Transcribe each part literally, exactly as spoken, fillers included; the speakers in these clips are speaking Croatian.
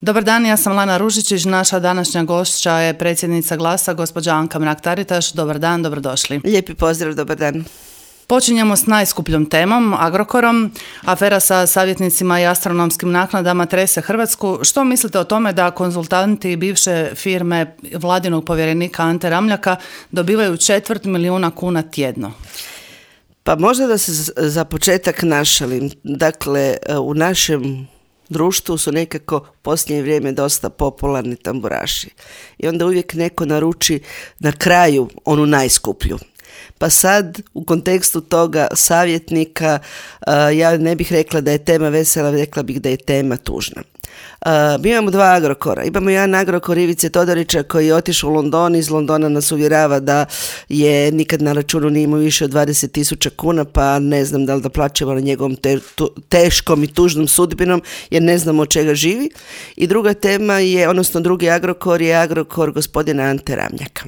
Dobar dan, ja sam Lana Ružičić, naša današnja gošća je predsjednica Glasa, gospođa Anka Mrak-Taritaš. Dobar dan, dobrodošli. Lijepi pozdrav, dobar dan. Počinjemo s najskupljom temom, Agrokorom. Afera sa savjetnicima i astronomskim naknadama trese Hrvatsku. Što mislite o tome da konzultanti bivše firme vladinog povjerenika Ante Ramljaka dobivaju četvrt milijuna kuna tjedno? Pa možda da se za početak našalim. Dakle, u našem društvu su nekako u posljednje vrijeme dosta popularni tamburaši. I onda uvijek neko naruči na kraju onu najskuplju. Pa sad u kontekstu toga savjetnika ja ne bih rekla da je tema vesela, rekla bih da je tema tužna. Uh, mi imamo dva Agrokora. Imamo jedan Agrokor Ivice Todorića koji je otišao u London, iz Londona nas uvjerava da je nikad na računu nije imao više od dvadeset tisuća kuna, pa ne znam da li da plaćamo na njegovom te, tu, teškom i tužnom sudbinom, jer ne znamo od čega živi. I druga tema je, odnosno drugi Agrokor je Agrokor gospodina Ante Ramljaka.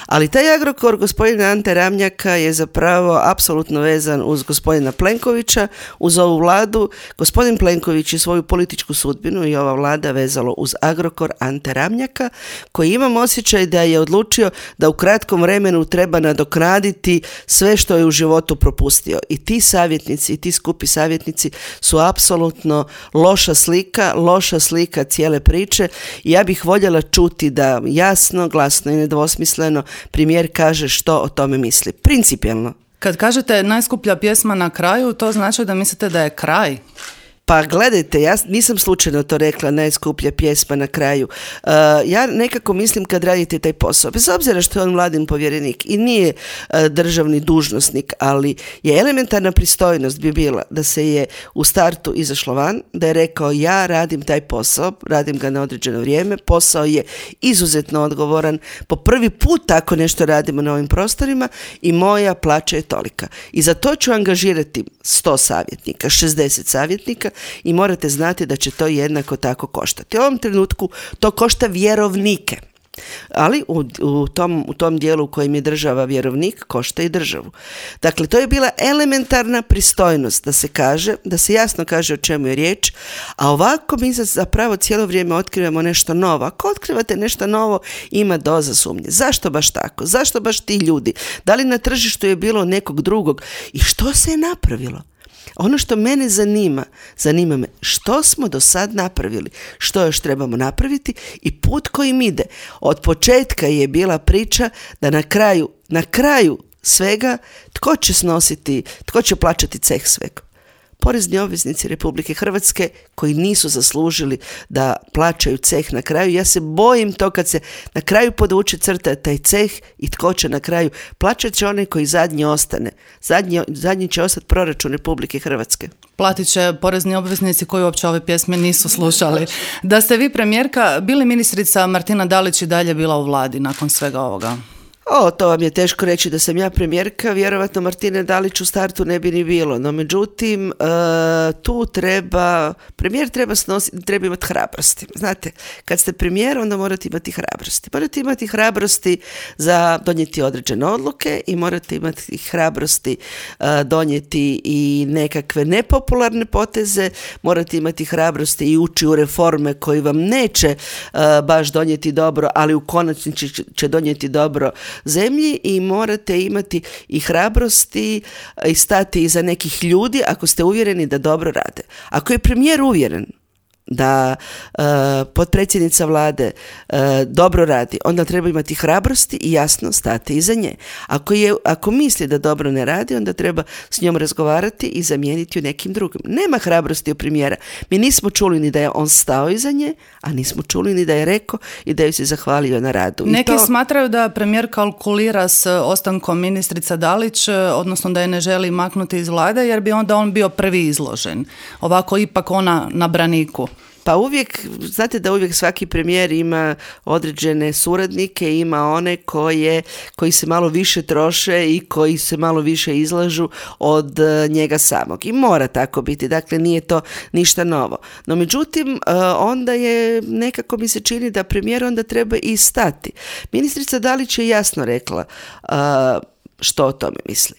Ali taj Agrokor gospodina Ante Ramljaka je zapravo apsolutno vezan uz gospodina Plenkovića, uz ovu vladu. Gospodin Plenković je svoju političku sudbinu i ova vlada vezalo uz Agrokor Ante Ramljaka, koji imam osjećaj da je odlučio da u kratkom vremenu treba nadoknaditi sve što je u životu propustio. I ti savjetnici, i ti skupi savjetnici su apsolutno loša slika, loša slika cijele priče. I ja bih voljela čuti da jasno, glasno i nedvosmisleno premijer kaže što o tome misli. Principijelno. Kad kažete najskuplja pjesma na kraju, to znači da mislite da je kraj? Pa gledajte, ja nisam slučajno to rekla, najskuplja pjesma na kraju. Uh, ja nekako mislim kad radite taj posao, bez obzira što je on vladin povjerenik i nije uh, državni dužnosnik, ali je elementarna pristojnost bi bila da se je u startu izašlo van, da je rekao ja radim taj posao, radim ga na određeno vrijeme, posao je izuzetno odgovoran, po prvi put tako nešto radimo na ovim prostorima i moja plaća je tolika. I za to ću angažirati sto savjetnika, šezdeset savjetnika, i morate znati da će to jednako tako koštati. U ovom trenutku to košta vjerovnike, ali u, u, tom, u tom dijelu u kojem je država vjerovnik košta i državu. Dakle, to je bila elementarna pristojnost da se kaže, da se jasno kaže o čemu je riječ, a ovako mi zapravo cijelo vrijeme otkrivamo nešto novo. Ako otkrivate nešto novo, ima doza sumnje. Zašto baš tako? Zašto baš ti ljudi? Da li na tržištu je bilo nekog drugog? I što se je napravilo? Ono što mene zanima, zanima me što smo do sad napravili, što još trebamo napraviti i put kojim ide. Od početka je bila priča da na kraju, na kraju svega tko će snositi, tko će plaćati ceh svega. Porezni obveznici Republike Hrvatske koji nisu zaslužili da plaćaju ceh na kraju. Ja se bojim to kad se na kraju podvuče crta taj ceh i tko će na kraju. Plaćat će onaj koji zadnji ostane. Zadnji, zadnji će ostati proračun Republike Hrvatske. Platit će porezni obveznici koji uopće ove pjesme nisu slušali. Da ste vi premijerka, bili ministrica Martina Dalić i dalje bila u vladi nakon svega ovoga? O, to vam je teško reći da sam ja premijerka, vjerovatno Martine Dalić u startu ne bi ni bilo, no međutim uh, tu treba, premijer treba snositi, treba imati hrabrosti. Znate, kad ste premijer onda morate imati hrabrosti. Morate imati hrabrosti za donijeti određene odluke i morate imati hrabrosti uh, donijeti i nekakve nepopularne poteze, morate imati hrabrosti i ući u reforme koji vam neće uh, baš donijeti dobro, ali u konačnici će, će donijeti dobro zemlji i morate imati i hrabrosti i stati iza nekih ljudi ako ste uvjereni da dobro rade. Ako je premijer uvjeren da uh, potpredsjednica vlade uh, dobro radi, onda treba imati hrabrosti i jasno stati iza nje. Ako, je, ako misli da dobro ne radi, onda treba s njom razgovarati i zamijeniti u nekim drugim. Nema hrabrosti u premijera. Mi nismo čuli ni da je on stao iza nje, a nismo čuli ni da je rekao i da ju se zahvalio na radu. Neki I to... smatraju da premijer kalkulira s ostankom ministrica Dalić, odnosno da je ne želi maknuti iz vlade jer bi onda on bio prvi izložen. Ovako ipak ona na braniku. Pa uvijek, znate da uvijek svaki premijer ima određene suradnike, ima one koje, koji se malo više troše i koji se malo više izlažu od njega samog. I mora tako biti, dakle nije to ništa novo. No međutim, onda je, nekako mi se čini da premijer onda treba i stati. Ministrica Dalić je jasno rekla, što o tome misli.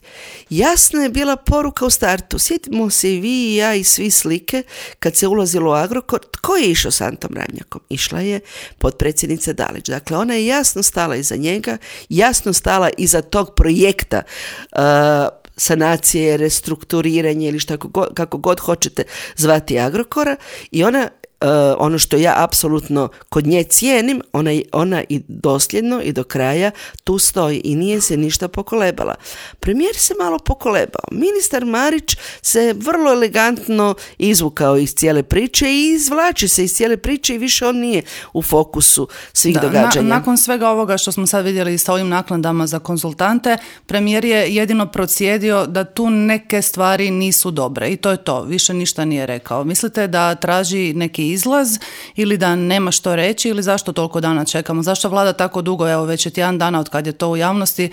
Jasna je bila poruka u startu. Sjetimo se i vi i ja i svi slike kad se ulazilo u Agrokor. Tko je išao s Antom Ramljakom? Išla je potpredsjednica Dalić. Dakle, ona je jasno stala iza njega, jasno stala iza tog projekta uh, sanacije, restrukturiranje ili šta, kako god hoćete zvati Agrokora, i ona Uh, ono što ja apsolutno kod nje cijenim, ona, ona i dosljedno i do kraja tu stoji i nije se ništa pokolebala. Premijer se malo pokolebao. Ministar Marić se vrlo elegantno izvukao iz cijele priče i izvlači se iz cijele priče i više on nije u fokusu svih da, događanja. Na, nakon svega ovoga što smo sad vidjeli sa ovim naknadama za konzultante, premijer je jedino procjedio da tu neke stvari nisu dobre i to je to. Više ništa nije rekao. Mislite da traži neki izlaz ili da nema što reći ili zašto toliko dana čekamo? Zašto vlada tako dugo, evo već je tjedan dana od kad je to u javnosti,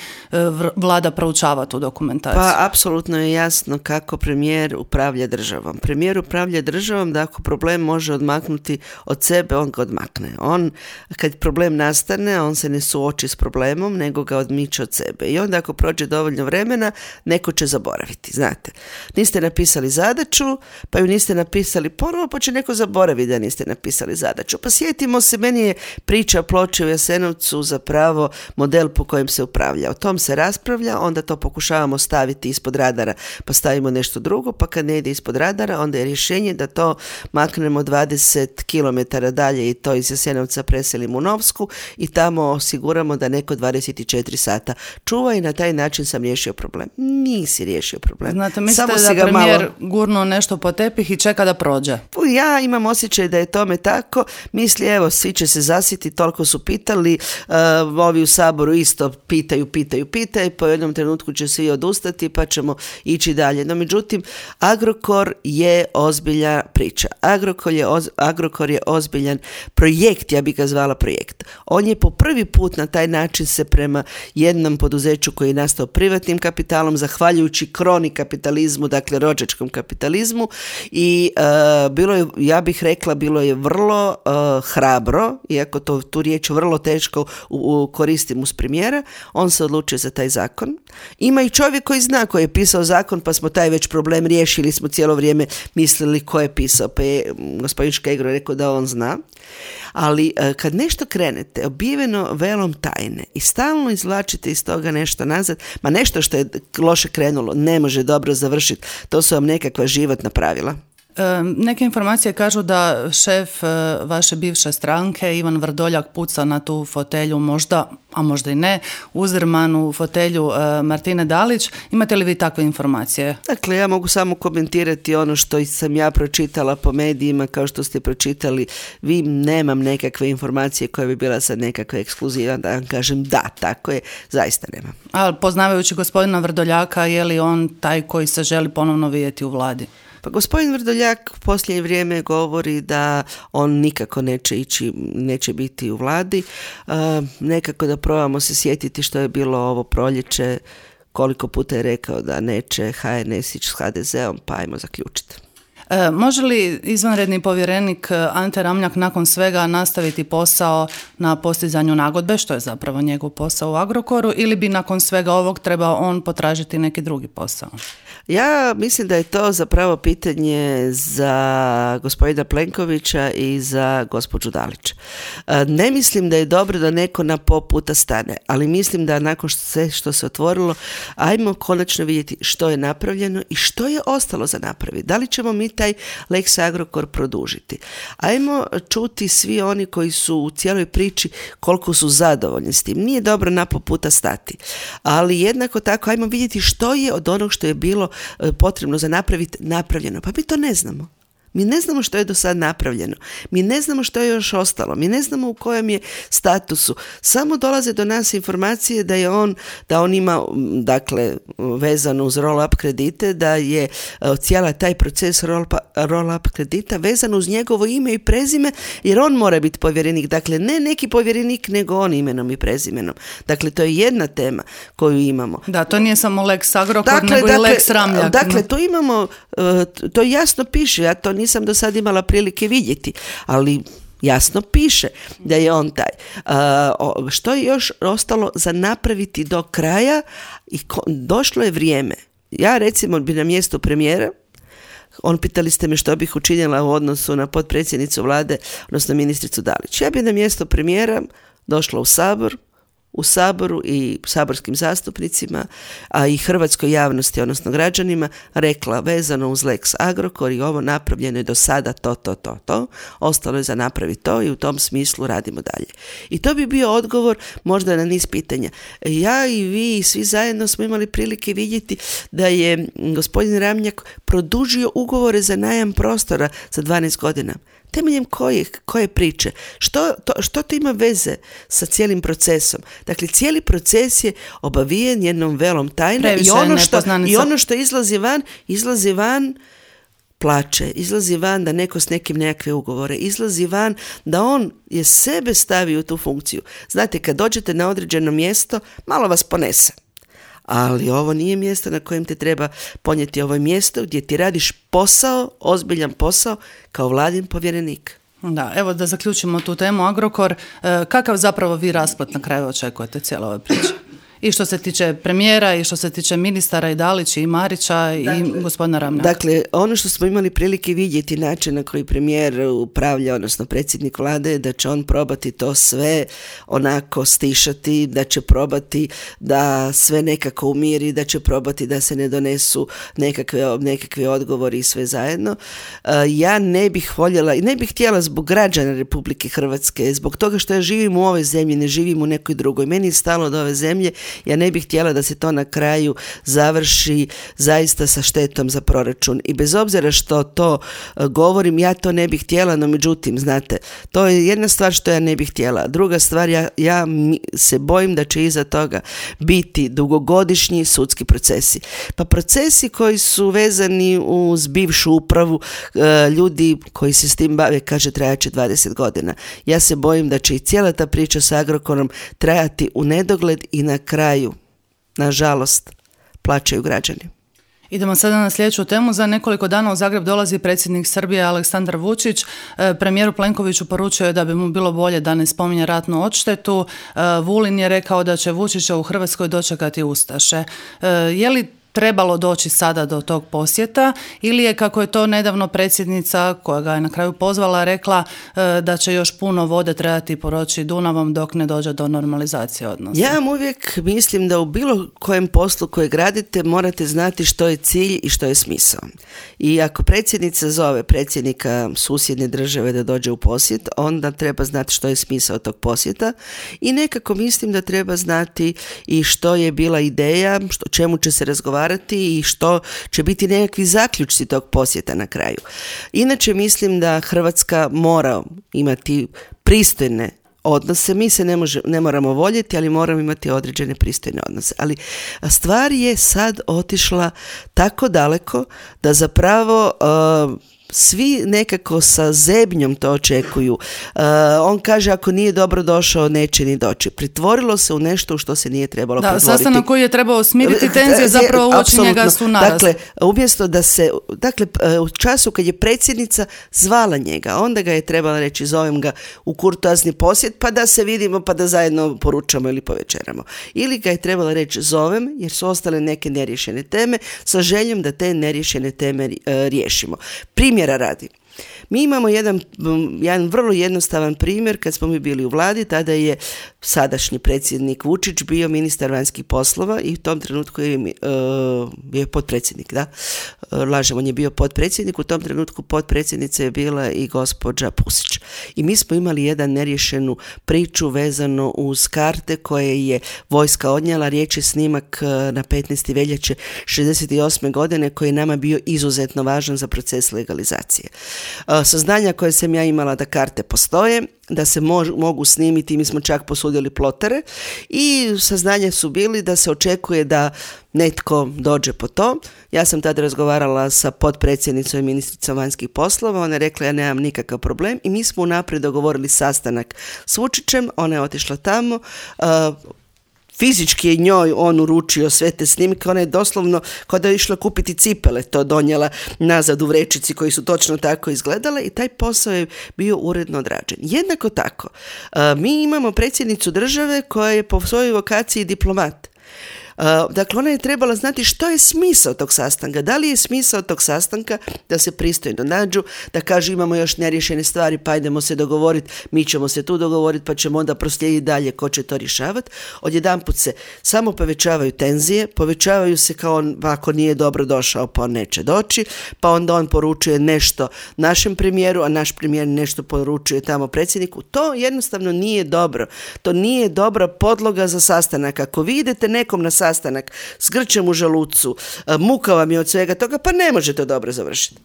vlada proučava tu dokumentaciju? Pa apsolutno je jasno kako premijer upravlja državom. Premijer upravlja državom da ako problem može odmaknuti od sebe, on ga odmakne. On, kad problem nastane, on se ne suoči s problemom, nego ga odmiče od sebe. I onda ako prođe dovoljno vremena, neko će zaboraviti, znate. Niste napisali zadaću, pa ju niste napisali ponovo, pa će neko zaboraviti da niste napisali zadaću. Pa sjetimo se, meni je priča Ploče u Jasenovcu zapravo model po kojem se upravlja. O tom se raspravlja, onda to pokušavamo staviti ispod radara, pa stavimo nešto drugo, pa kad ne ide ispod radara, onda je rješenje da to maknemo dvadeset kilometara dalje i to iz Jasenovca preselimo u Novsku i tamo osiguramo da neko dvadeset četiri sata čuva i na taj način sam riješio problem. Nisi riješio problem. Znate, mislite da premijer malo gurnuo nešto po tepih i čeka da prođe? Ja imam osjećaj da je tome tako. Misli, evo, svi će se zasiti, toliko su pitali, uh, ovi u Saboru isto pitaju, pitaju, pitaju, po jednom trenutku će svi odustati pa ćemo ići dalje. No, međutim, Agrokor je ozbiljna priča. Agrokor je, oz, Agrokor je ozbiljan projekt, ja bih ga zvala projekt. On je po prvi put na taj način se prema jednom poduzeću koji je nastao privatnim kapitalom, zahvaljujući kroni kapitalizmu, dakle rođačkom kapitalizmu, i uh, bilo je, ja bih rekla, bilo je vrlo uh, hrabro, iako to, tu riječ vrlo teško u, u, koristim uz premijera, on se odlučio za taj zakon. Ima i čovjek koji zna, koji je pisao zakon, pa smo taj već problem riješili, smo cijelo vrijeme mislili ko je pisao, pa je gospodin Škegro rekao da on zna. Ali uh, kad nešto krenete obiveno velom tajne i stalno izvlačite iz toga nešto nazad, ma nešto što je loše krenulo ne može dobro završiti, to su vam nekakva životna pravila. Neke informacije kažu da šef vaše bivše stranke, Ivan Vrdoljak, puca na tu fotelju, možda, a možda i ne, uzrmanu fotelju Martine Dalić. Imate li vi takve informacije? Dakle, ja mogu samo komentirati ono što sam ja pročitala po medijima, kao što ste pročitali vi. Nemam nekakve informacije koja bi bila sad nekakva ekskluziva, da vam kažem da, tako je, zaista nemam. A poznavajući gospodina Vrdoljaka, je li on taj koji se želi ponovno vidjeti u vladi? Pa gospodin Vrdoljak u posljednje vrijeme govori da on nikako neće ići, neće biti u vladi. E, nekako da probamo se sjetiti što je bilo ovo proljeće, koliko puta je rekao da neće ha en es ići s ha de zeom, pa ajmo zaključiti. E, može li izvanredni povjerenik Ante Ramljak nakon svega nastaviti posao na postizanju nagodbe, što je zapravo njegov posao u Agrokoru, ili bi nakon svega ovog trebao on potražiti neki drugi posao? Ja mislim da je to zapravo pitanje za gospodina Plenkovića i za gospođu Dalić. Ne mislim da je dobro da neko na po puta stane, ali mislim da nakon sve što se otvorilo, ajmo konačno vidjeti što je napravljeno i što je ostalo za napraviti. Da li ćemo mi taj Lex Agrokor produžiti? Ajmo čuti svi oni koji su u cijeloj priči koliko su zadovoljni s tim. Nije dobro na po puta stati, ali jednako tako ajmo vidjeti što je od onog što je bilo potrebno za napraviti napravljeno. Pa mi to ne znamo. Mi ne znamo što je do sad napravljeno. Mi ne znamo što je još ostalo. Mi ne znamo u kojem je statusu. Samo dolaze do nas informacije da je on, da on ima, dakle, vezano uz roll-up kredite, da je cijela taj proces roll-up kredita vezan uz njegovo ime i prezime, jer on mora biti povjerenik. Dakle, ne neki povjerenik, nego on imenom i prezimenom. Dakle, to je jedna tema koju imamo. Da, to nije samo Lex Agrokor, dakle, nego dakle, i Lex Ramljak. Dakle, to imamo, to jasno piše, ja to nisam do sad imala prilike vidjeti, ali jasno piše da je on taj. Uh, što je još ostalo za napraviti do kraja i ko, došlo je vrijeme. Ja recimo bi na mjestu premijera, on pitali ste me što bih učinila u odnosu na potpredsjednicu vlade, odnosno ministricu Dalić. Ja bi na mjesto premijera došla u Sabor, u Saboru i saborskim zastupnicima, a i hrvatskoj javnosti, odnosno građanima, rekla vezano uz Lex Agrokor i ovo napravljeno je do sada to, to, to, to, ostalo je za napraviti to i u tom smislu radimo dalje. I to bi bio odgovor možda na niz pitanja. Ja i vi i svi zajedno smo imali prilike vidjeti da je gospodin Ramljak produžio ugovore za najam prostora za dvanaest godina. Temeljem koje, koje priče? Što to, što to ima veze sa cijelim procesom? Dakle, cijeli proces je obavijen jednom velom tajne i ono, što, i ono što izlazi van, izlazi van plaće, izlazi van da neko s nekim nekakve ugovore, izlazi van da on je sebe stavio u tu funkciju. Znate, kad dođete na određeno mjesto, malo vas ponese. Ali ovo nije mjesto na kojem te treba ponijeti, ovo je mjesto gdje ti radiš posao, ozbiljan posao, kao vladin povjerenik. Da, evo da zaključimo tu temu Agrokor. E, kakav zapravo vi rasplet na kraju očekujete cijelo ove priče? I što se tiče premijera, i što se tiče ministara i Dalića i Marića i dakle, gospodina Ramljaka. Dakle, ono što smo imali prilike vidjeti, način na koji premijer upravlja, odnosno predsjednik vlade, da će on probati to sve onako stišati, da će probati da sve nekako umiri, da će probati da se ne donesu nekakve, nekakve odgovori i sve zajedno. Ja ne bih voljela i ne bih htjela zbog građana Republike Hrvatske, zbog toga što ja živim u ovoj zemlji, ne živim u nekoj drugoj. Meni je stalo do ove zemlje. Ja ne bih htjela da se to na kraju završi zaista sa štetom za proračun. I bez obzira što to govorim, ja to ne bih htjela, no međutim, znate, to je jedna stvar što ja ne bih htjela. Druga stvar, ja, ja se bojim da će iza toga biti dugogodišnji sudski procesi. Pa procesi koji su vezani uz bivšu upravu, ljudi koji se s tim bave, kaže, trajaće dvadeset godina. Ja se bojim da će i cijela ta priča sa Agrokorom trajati u nedogled i na kraju, nažalost, plaćaju građani. Idemo sada na sljedeću temu. Za nekoliko dana u Zagreb dolazi predsjednik Srbije Aleksandar Vučić. Premijeru Plenkoviću poručio je da bi mu bilo bolje da ne spominje ratnu odštetu. Vulin je rekao da će Vučića u Hrvatskoj dočekati ustaše. Je li trebalo doći sada do tog posjeta ili je, kako je to nedavno predsjednica koja ga je na kraju pozvala, rekla da će još puno vode trebati poroći Dunavom dok ne dođe do normalizacije odnosa? Ja vam uvijek mislim da u bilo kojem poslu koje gradite morate znati što je cilj i što je smisao. I ako predsjednica zove predsjednika susjedne države da dođe u posjet, onda treba znati što je smisao tog posjeta i nekako mislim da treba znati i što je bila ideja, što, čemu će se razgovarati i što će biti nekakvi zaključci tog posjeta na kraju. Inače mislim da Hrvatska mora imati pristojne odnose. Mi se ne, može, ne moramo voljeti, ali moramo imati određene pristojne odnose. Ali stvar je sad otišla tako daleko da zapravo uh, svi nekako sa zebnjom to očekuju. Uh, on kaže ako nije dobro došao, neće ni doći. Pretvorilo se u nešto u što se nije trebalo da, pretvoriti. Sastanak koji je trebao smiriti tenzije, zapravo uoči njega su narast. Dakle, umjesto da se, dakle, u času kad je predsjednica zvala njega, onda ga je trebala reći zovem ga u kurtoazni posjet pa da se vidimo pa da zajedno poručamo ili povečeramo. Ili ga je trebala reći zovem jer su ostale neke neriješene teme sa željom da te neriješene teme uh, riješimo. Primjera radi. Mi imamo jedan, jedan vrlo jednostavan primjer kad smo mi bili u vladi, tada je sadašnji predsjednik Vučić bio ministar vanjskih poslova i u tom trenutku je uh, bio potpredsjednik, da, uh, lažem, on je bio potpredsjednik, u tom trenutku potpredsjednica je bila i gospođa Pusić. I mi smo imali jedan neriješenu priču vezano uz karte koje je vojska odnijela, riječ je snimak na petnaeste veljače šezdeset osme godine koji je nama bio izuzetno važan za proces legalizacije. Uh, saznanja koje sam ja imala da karte postoje, da se mož, mogu snimiti, mi smo čak posudili plotare i saznanja su bili da se očekuje da netko dođe po to. Ja sam tada razgovarala sa potpredsjednicom i ministricom vanjskih poslova, ona je rekla ja nemam nikakav problem i mi smo unaprijed dogovorili sastanak s Vučićem, ona je otišla tamo, uh, fizički je njoj on uručio sve te snimke, ona je doslovno kao da je išla kupiti cipele, to donijela nazad u vrećici koji su točno tako izgledale i taj posao je bio uredno odrađen. Jednako tako, mi imamo predsjednicu države koja je po svojoj vokaciji diplomat. Uh, dakle, ona je trebala znati što je smisao tog sastanka. Da li je smisao tog sastanka da se pristojno nađu, da kažu imamo još neriješene stvari, pa ajdemo se dogovoriti, mi ćemo se tu dogovoriti, pa ćemo onda proslijediti dalje ko će to rješavati. Odjedanput se samo povećavaju tenzije, povećavaju se kao on, ako nije dobro došao, pa on neće doći, pa onda on poručuje nešto našem premijeru, a naš premijer nešto poručuje tamo predsjedniku. To jednostavno nije dobro. To nije dobra podloga za sastanak. Ako vi idete nekom na sastanak sastanak s grčem u želucu, muka vam je od svega toga, pa ne može to dobro završiti.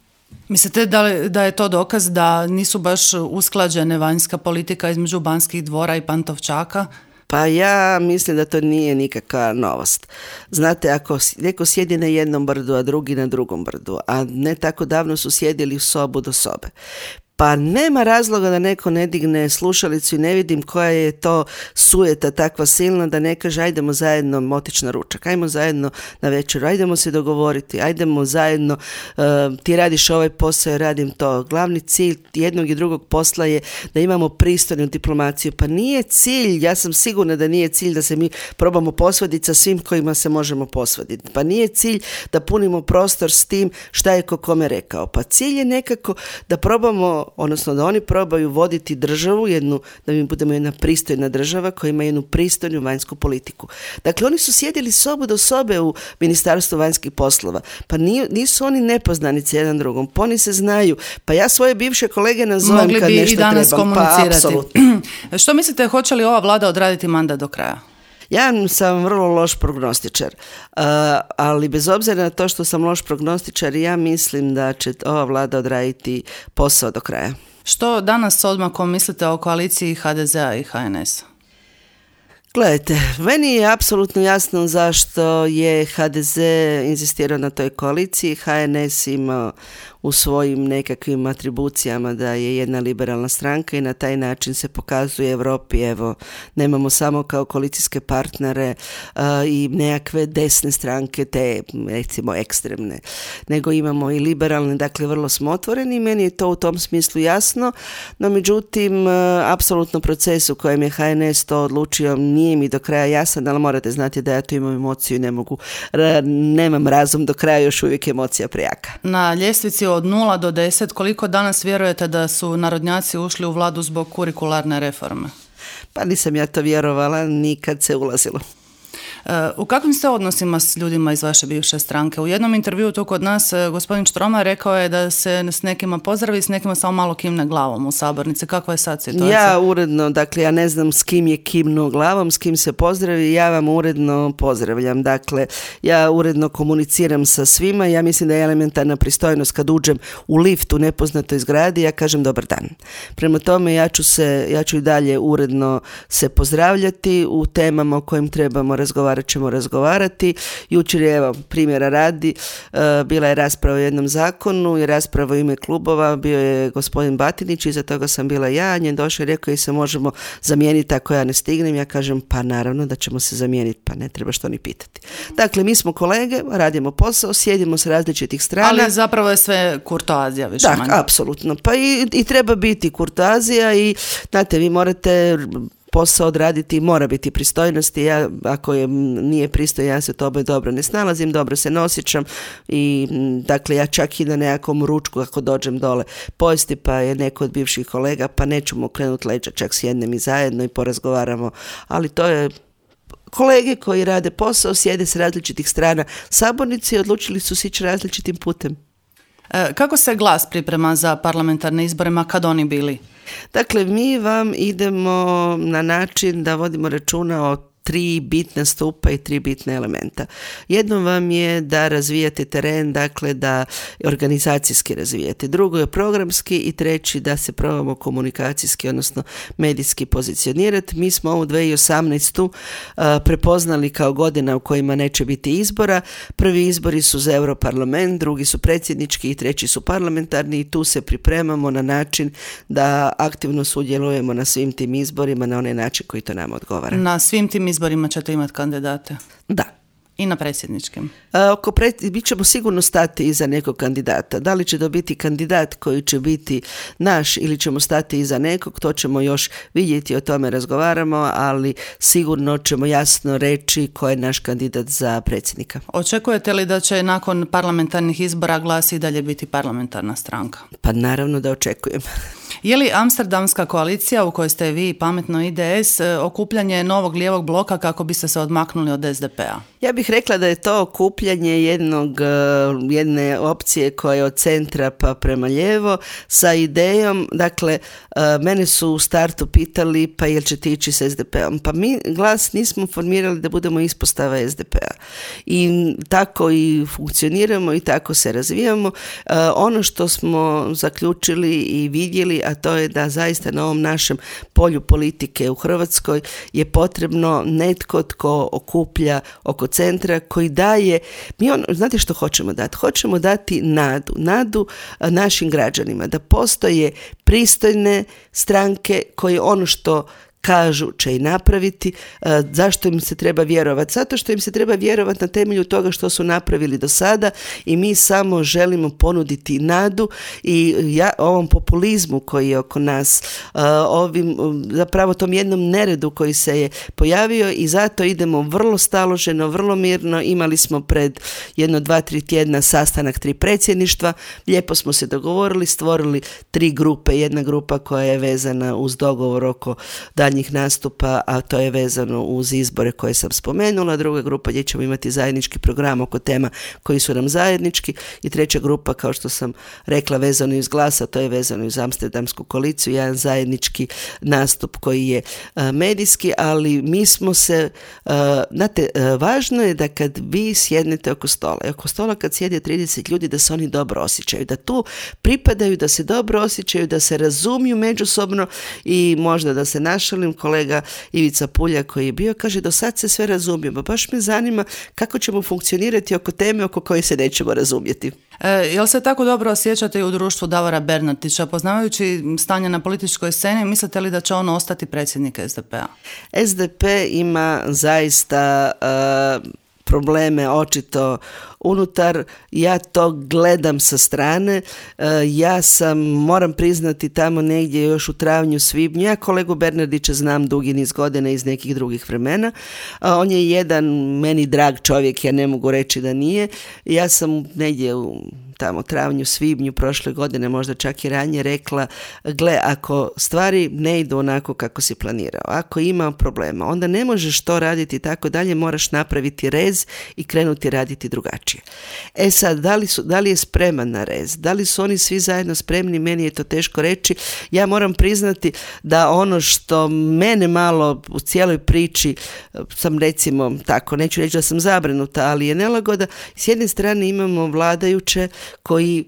Mislite da, li, da je to dokaz da nisu baš usklađene vanjska politika između Banskih dvora i Pantovčaka? Pa ja mislim da to nije nikakva novost. Znate, ako neko sjedi na jednom brdu, a drugi na drugom brdu, a ne tako davno su sjedili u sobu do sobe, pa nema razloga da neko ne digne slušalicu i ne vidim koja je to sujeta takva silna da ne kaže ajdemo zajedno otići na ručak, ajdemo zajedno na večeru, ajdemo se dogovoriti, ajdemo zajedno, uh, ti radiš ovaj posao, ja radim to. Glavni cilj jednog i drugog posla je da imamo pristojnu diplomaciju. Pa nije cilj, ja sam sigurna da nije cilj da se mi probamo posvaditi sa svim kojima se možemo posvaditi. Pa nije cilj da punimo prostor s tim šta je ko kome rekao. Pa cilj je nekako da probamo, odnosno da oni probaju voditi državu, jednu, da mi budemo jedna pristojna država koja ima jednu pristojnu vanjsku politiku. Dakle, oni su sjedili sobu do sobe u Ministarstvu vanjskih poslova. Pa nisu oni nepoznanici jedan drugom, pa oni se znaju. Pa ja svoje bivše kolege nazovem mogli kad bi nešto i danas trebam. Komunicirati. Pa apsolutno. Što mislite, hoće li ova vlada odraditi mandat do kraja? Ja sam vrlo loš prognostičar, uh, ali bez obzira na to što sam loš prognostičar, ja mislim da će ova vlada odraditi posao do kraja. Što danas s odmakom mislite o koaliciji ha de zea i ha en esa? Gledajte, meni je apsolutno jasno zašto je ha de ze inzistirao na toj koaliciji. ha en es ima u svojim nekakvim atribucijama da je jedna liberalna stranka i na taj način se pokazuje Europi, evo, nemamo samo kao koalicijske partnere uh, i nekakve desne stranke, te recimo ekstremne, nego imamo i liberalne, dakle vrlo smo otvoreni i meni je to u tom smislu jasno, no međutim, uh, apsolutno proces u kojem je ha en es to odlučio nije mi do kraja jasan, ali morate znati da ja tu imam emociju i ne mogu, ra, nemam razum do kraja, još uvijek emocija prejaka. Na ljestvici od nula do deset, koliko danas vjerujete da su narodnjaci ušli u vladu zbog kurikularne reforme? Pa nisam ja to vjerovala nikad se ulazilo. U kakvim ste odnosima s ljudima iz vaše bivše stranke? U jednom intervjuu tu kod nas gospodin Štromar rekao je da se s nekima pozdravi, s nekima samo malo kimne glavom u sabornici. Kakva je sad situacija? Ja uredno, dakle ja ne znam s kim je kimnuo glavom, s kim se pozdravi, ja vam uredno pozdravljam. Dakle, ja uredno komuniciram sa svima, ja mislim da je elementarna pristojnost kad uđem u lift u nepoznatoj zgradi, ja kažem dobar dan. Prema tome ja ću se, ja ću i dalje uredno se pozdravljati u temama o kojim trebamo razgovarati ćemo razgovarati. Jučer je, evo, primjera radi, uh, bila je rasprava o jednom zakonu i rasprava u ime klubova, bio je gospodin Batinić, iza toga sam bila ja, njen došao i rekao i se možemo zamijeniti ako ja ne stignem, ja kažem pa naravno da ćemo se zamijeniti, pa ne treba što ni pitati. Dakle, mi smo kolege, radimo posao, sjedimo s različitih strana. Ali zapravo je sve kurtoazija više manje. Da, apsolutno. Pa i, i treba biti kurtoazija i, znate, vi morate posao odraditi, mora biti pristojnosti. Ja, ako je, nije pristojno, ja se tome dobro ne snalazim, dobro se ne osjećam i dakle ja čak i na nekakvom ručku ako dođem dole pojesti pa je neko od bivših kolega pa nećemo okrenuti leđa, čak sjednem i zajedno i porazgovaramo, ali to je kolege koji rade posao, sjede s različitih strana sabornici i odlučili su se ići različitim putem. E, kako se Glas priprema za parlamentarne izbore, ma kad oni bili? Dakle, mi vam idemo na način da vodimo računa o tri bitna stupa i tri bitne elementa. Jedno vam je da razvijate teren, dakle da organizacijski razvijate. Drugo je programski i treći da se probamo komunikacijski, odnosno medijski pozicionirati. Mi smo ovu dvije tisuće osamnaestu uh, prepoznali kao godina u kojima neće biti izbora. Prvi izbori su za Europarlament, drugi su predsjednički i treći su parlamentarni i tu se pripremamo na način da aktivno sudjelujemo na svim tim izborima na onaj način koji to nama odgovara. Na svim tim izborima izborima ćete imati kandidate? Da. I na predsjedničkim? A, oko pred, mi ćemo sigurno stati iza nekog kandidata. Da li će to biti kandidat koji će biti naš ili ćemo stati iza nekog, to ćemo još vidjeti, o tome razgovaramo, ali sigurno ćemo jasno reći ko je naš kandidat za predsjednika. Očekujete li da će nakon parlamentarnih izbora Glas i dalje biti parlamentarna stranka? Pa naravno da očekujem. Je li Amsterdamska koalicija u kojoj ste vi, Pametno I D S, okupljanje novog lijevog bloka kako biste se odmaknuli od S D P-a? Ja bih rekla da je to okupljanje jednog, jedne opcije koja je od centra pa prema lijevo sa idejom, dakle, mene su u startu pitali pa jel ćete ići s S D P-om. Pa mi Glas nismo formirali da budemo ispostava S D P-a. I tako i funkcioniramo i tako se razvijamo. Ono što smo zaključili i vidjeli, a to je da zaista na ovom našem polju politike u Hrvatskoj je potrebno netko tko okuplja oko centra, koji daje, mi on, znate što hoćemo dati? Hoćemo dati nadu, nadu našim građanima, da postoje pristojne stranke koje ono što kažu će i napraviti. E, zašto im se treba vjerovati? Zato što im se treba vjerovati na temelju toga što su napravili do sada i mi samo želimo ponuditi nadu i ja, ovom populizmu koji je oko nas, e, ovim, zapravo tom jednom neredu koji se je pojavio i zato idemo vrlo staloženo, vrlo mirno. Imali smo pred jedno, dva, tri tjedna sastanak tri predsjedništva, lijepo smo se dogovorili, stvorili tri grupe, jedna grupa koja je vezana uz dogovor oko daljnjih nastupa, a to je vezano uz izbore koje sam spomenula, druga grupa gdje ćemo imati zajednički program oko tema koji su nam zajednički i treća grupa, kao što sam rekla, vezano iz Glasa, to je vezano iz Amsterdamsku koaliciju, jedan zajednički nastup koji je uh, medijski, ali mi smo se, uh, znate, uh, važno je da kad vi sjednete oko stola, i oko stola kad sjede trideset ljudi, da se oni dobro osjećaju, da tu pripadaju, da se dobro osjećaju, da se razumiju međusobno i možda da se našali. Kolega Ivica Pulja koji je bio, kaže, do sad se sve razumijemo. Baš me zanima kako ćemo funkcionirati oko teme oko koje se nećemo razumjeti. E, jel se tako dobro osjećate i u društvu Davora Bernardića? Poznavajući stanje na političkoj sceni, mislite li da će on ostati predsjednik S D P-a? S D P ima zaista uh, probleme očito unutar, ja to gledam sa strane, ja sam, moram priznati, tamo negdje još u travnju, svibnju, ja kolegu Bernardića znam dugi niz godina iz nekih drugih vremena, on je jedan meni drag čovjek, ja ne mogu reći da nije, ja sam negdje u tamo travnju, svibnju prošle godine, možda čak i ranije, rekla, gle, ako stvari ne idu onako kako si planirao, ako ima problema, onda ne možeš to raditi tako dalje, moraš napraviti rez i krenuti raditi drugačije. E sad, da li, su, da li je spreman na rez? Da li su oni svi zajedno spremni? Meni je to teško reći. Ja moram priznati da ono što mene malo u cijeloj priči, sam recimo tako, neću reći da sam zabrinuta, ali je nelagoda. S jedne strane imamo vladajuće koji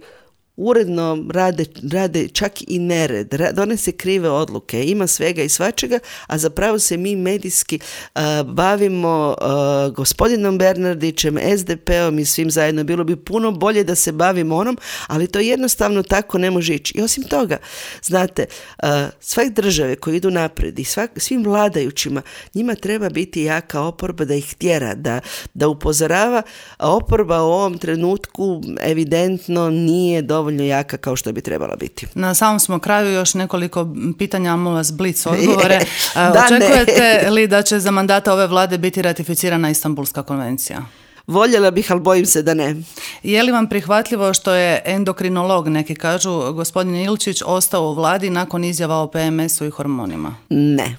uredno rade, rade čak i nered, donese krive odluke, ima svega i svačega, a zapravo se mi medijski uh, bavimo uh, gospodinom Bernardićem, S D P-om i svim zajedno. Bilo bi puno bolje da se bavimo onom, ali to jednostavno tako ne može ići. I osim toga, znate, uh, sve države koje idu naprijed i svak, svim vladajućima, njima treba biti jaka oporba da ih tjera, da, da upozorava, a oporba u ovom trenutku evidentno nije dovoljno dovoljno jaka kao što bi trebala biti. Na samom smo kraju još nekoliko pitanja, molim vas blic odgovore. Da, očekujete ne. li da će za mandata ove vlade biti ratificirana Istanbulska konvencija? Voljela bih, ali bojim se da ne. Je li vam prihvatljivo što je endokrinolog, neki kažu, gospodin Ilčić, ostao u vladi nakon izjava o P M S-u i hormonima? Ne.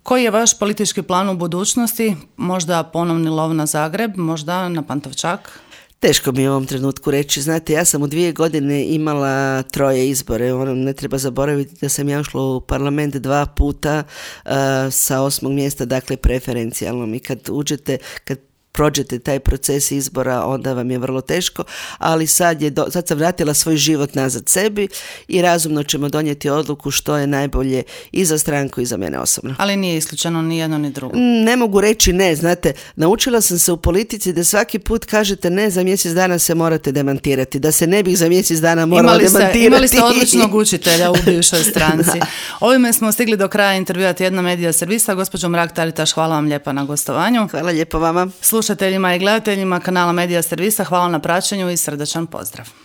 Koji je vaš politički plan u budućnosti? Možda ponovni lov na Zagreb, možda na Pantovčak? Teško mi je u ovom trenutku reći. Znate, ja sam u dvije godine imala troje izbore. Ono, ne treba zaboraviti da sam ja ušla u parlament dva puta uh, sa osmog mjesta, dakle preferencijalnom. I kad uđete, kad prođete taj proces izbora, onda vam je vrlo teško, ali sad, je do, sad sam vratila svoj život nazad sebi i razumno ćemo donijeti odluku što je najbolje i za stranku i za mene osobno. Ali nije isključeno ni jedno ni drugo. Ne mogu reći ne, znate, naučila sam se u politici da svaki put kažete ne, za mjesec dana se morate demantirati, da se ne bih za mjesec dana morala imali ste, demantirati. Imali ste odličnog učitelja u bivšoj stranci. Ovime smo stigli do kraja intervjua Tjedna medija servisa. Gospođo Mrak-Taritaš, hvala vam lijepa na gostovanju. Hvala lijepo vama. Slušateljima i gledateljima kanala Medija servisa hvala na praćenju i srdačan pozdrav.